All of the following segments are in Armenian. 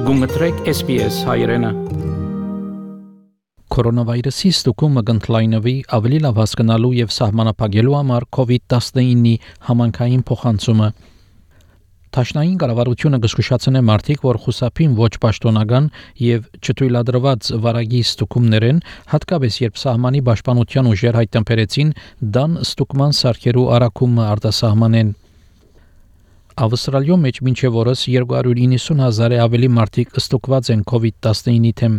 Գումտրեք SPS հայրենը։ Կորոնավիրուսի ստուգումը կընդլայնվի ավելի լավ հասկանալու եւ սահմանափակելու համար COVID-19-ի համանքային փոխանցումը։ Տաշնային կառավարությունը կզգուշացնե մարդիկ, որ խուսափին ոչ պաշտոնական եւ չթույլատրված վարագի ստուգումներեն, հատկապես երբ սահմանի պաշտպանության ուժեր հայտնաբերեցին դան ստուգման սարքերու առաքումը արտասահմանեն։ Ավստրալիայում մեջ մինչև օրս 290,000 ավելի մարդիկ ստուգված են COVID-19-ի թեմ։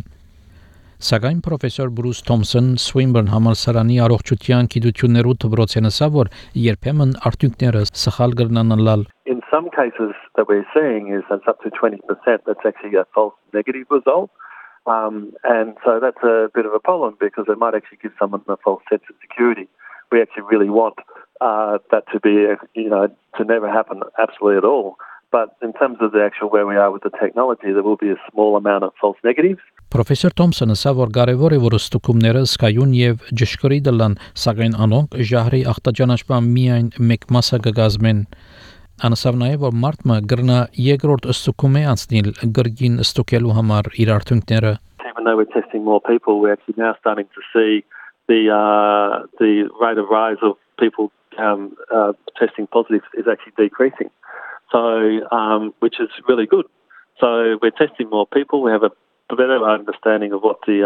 Սակայն պրոֆեսոր Բրուս Թոմսոն Swinburne համալսարանի առողջության գիտություններու դպրոցն ասա, որ երբեմն արդյունքները սխալ կրնանալ։ In some cases that we're seeing is that's up to 20% that's actually a false negative result. And so that's a bit of a problem because it might actually give someone a false sense of security. We actually really want that to be, to never happen absolutely at all. But in terms of the actual where we are with the technology, there will be a small amount of false negatives. Պրոֆեսոր Թոմսոնը ասա, որ կարևոր է, որ ստուգումները սկայուն եւ ճշգրիտ լան, սակայն անոնք ժահրի ախտաճանաչման միայն մեկ մասը կգազմեն։ Անասավ նաեւ, որ մարդը գրնա երկրորդ ստուգումի անցնել գրգին ստուգելու համար իր արդյունքները։ Even though we're testing more people, we're actually now starting to see the rate of rise of people testing positive is actually decreasing. So, which is really good. So we're testing more people. We have a better understanding of what the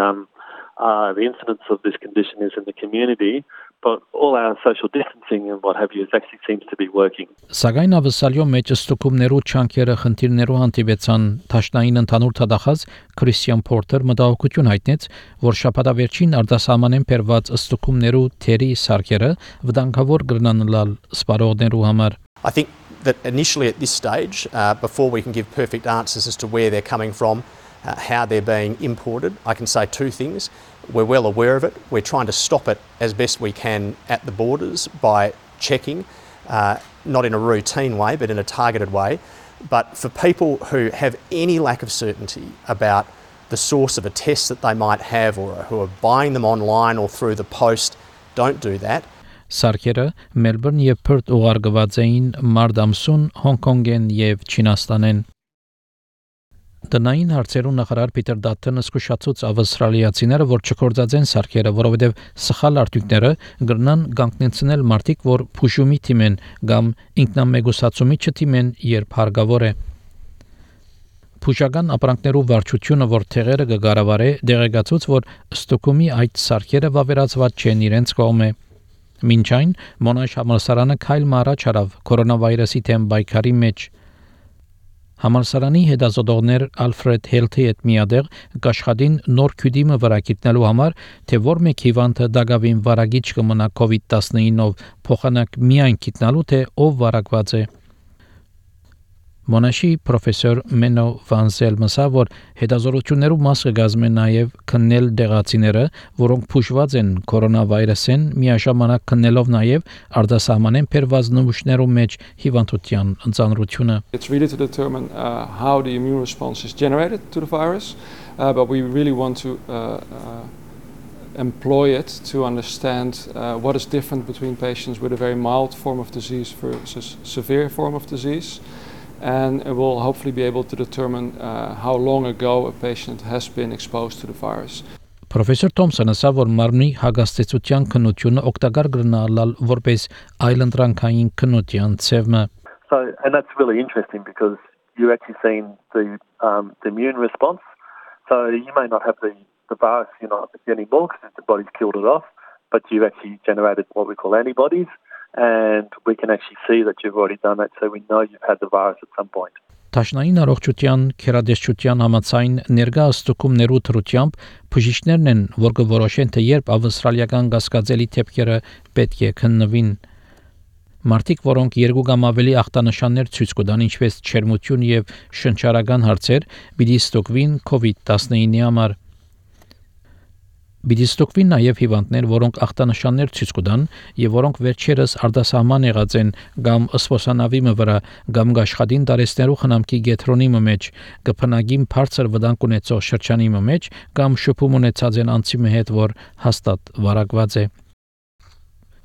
incidence of this condition is in the community, but all our social distancing and what have you actually seems to be working. Սակայն ավսալյո մեջ ստուգումներու չանկերը խնդիրներու հանդիպեցան Տաշնային ընդհանուր թադախած Քրիստիան Փորտեր մտահոգություն հայտնեց, որ շաբաթավերջին արտասահմանեն բերված ստուգումներու թերի սարքերը վտանգավոր կրնանալ սպառողներու համար։ I think that initially at this stage, before we can give perfect answers as to where they're coming from, how they're being imported, I can say two things. We're well aware of it. We're trying to stop it as best we can at the borders by checking, not in a routine way, but in a targeted way. But for people who have any lack of certainty about the source of a test that they might have or who are buying them online or through the post, don't do that. Սարքերը Մելբուրն եւ Պերթ ուղարկված էին մարտ ամսուն Հոնկոնգեն եւ Չինաստանեն։ Տնային հարցերու նախարար Պիտեր Դաթոնը զգուշացուց ավստրալիացիները, որ չկործածեն սարքերը, որովհետեւ սխալ արդյունքները կգնան կանգնեցնել մարդիկ, որ փուշումի թիմեն կամ ինքնամեգուսացումի չթիմեն, երբ հարկավոր է։ Փուշական ապրանքներու վարչությունը, որ թեղերը կգարավարե, դեղեկացուց, որ ստուգումի այդ սարքերը վավերացված չեն իրենց կողմէ։ Մինչ այն Մոնաշ համալսարանը քայլ մարաջ արավ կորոնավիրուսի թեմ բայկարի մեջ։ Համալսարանի հետազոտողներ Ալֆրեդ Հելթի հետ միադեղ կաշխատին նոր քյուդիմը վրա գտնելու համար, թե որ մեկ հիվանդը դակավին վարագիչ կմնա COVID-19-ով փոխանակ միայն գտնալու, թե ով վարակված է։ Մոնաշի պրոֆեսոր Մենո Վանզել մսա, որ հետազոտություններու մասը կազմեն նաև քննել դեղացիները, որոնք փուշված են կորոնավիրուսեն, միաժամանակ քննելով նաև արտասահմանեն բերված նմուշներու մեջ հիվանդության ծանրությունը։ It's really to determine how the immune response is generated to the virus, but we really want to employ it to understand what is different between patients with a very mild form of disease versus severe form of disease. And it will hopefully be able to determine how long ago a patient has been exposed to the virus. Պրոֆեսոր Թոմսոնը ասա, որ մարմնի հագաստեցության քննությունը օգտակար կգնալ որպես այլընտրանքային քննության ցևը։ So, and that's really interesting because you're actually seeing the immune response. So you may not have the virus, you're not anymore because the body's killed it off, but you've actually generated what we call antibodies. And we can actually see that you've already done that, so we know you've had the virus at some point. Տաշնային առողջության քերադեսչության համաձայն ներկա ստուգումներու թրությամբ բժիշկներն են, որ կորոշեն, թե երբ ավստրալիական գասկածելի թեփքերը պետք է քննվին։ Մարդիկ, որոնք երկու կամ ավելի ախտանշաններ ցույց կտան, ինչպես չերմություն եւ շնչառական հարցեր, պիտի ստուգվին COVID-19-ի համար։ Պիտի ստուգվին նաև հիվանդներ, որոնք ախտանշաններ ցույց կտան եւ որոնք վերջերս արտասահման եղած են կամ սպոսանավի վրա կամ աշխատին տարեստերու խնամքի գետրոնի մեջ, կփնագին բարձր վտանգ ունեցող շրջանի մեջ կամ շփում ունեցած են անձի հետ, որ հաստատ վարակված է։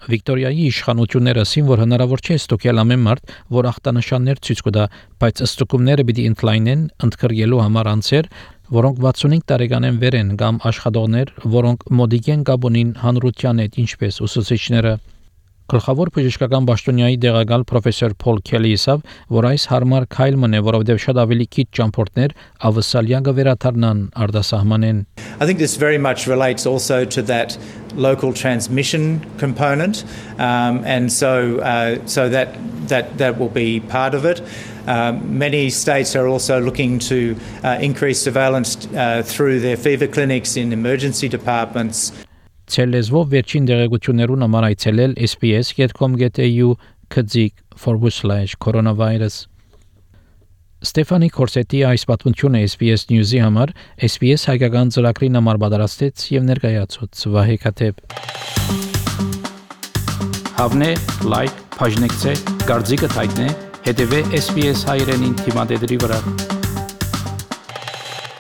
Վիկտորիայի իշխանությունները ասին, որ հնարավոր չէ ստուգել ամեն մարդ, որ ախտանշաններ ցույց կտա, բայց ստուգումները պիտի ընդլայնեն ընդգրկելու համար անձեր, որոնք 65 տարեկանեն վեր են կամ աշխատողներ, որոնք մոդիկ են Գաբոնին հանրության հետ, ինչպես ուսուցիչները։ Գլխավոր բժշկական պաշտոնյայի դեղակալ պրոֆեսոր Փոլ Քելի ասավ, որ այս հարմար քայլ մնե, որովհետև շատ ավելի քիչ ճամփորդներ ավսալյան կվերաթարնան արտասահմանեն։ I think this very much relates also to that local transmission component, and so that will be part of it. Many states are also looking to increase surveillance through their fever clinics in emergency departments. Ցելեզվով վերջին դեղեցություններուն համար այցելել sps.com.au/coronavirus Ստեֆանի Կորսետի այս պատմությունը SBS News-ի համար SBS հայկական ծրագրին համար պատրաստեց եւ ներկայացուց Վահե Քաթեփ Հավնե լայք բաժնեկցե դարձիկը թայտնե հետեւե SBS հայրենին թիմադեդի վրա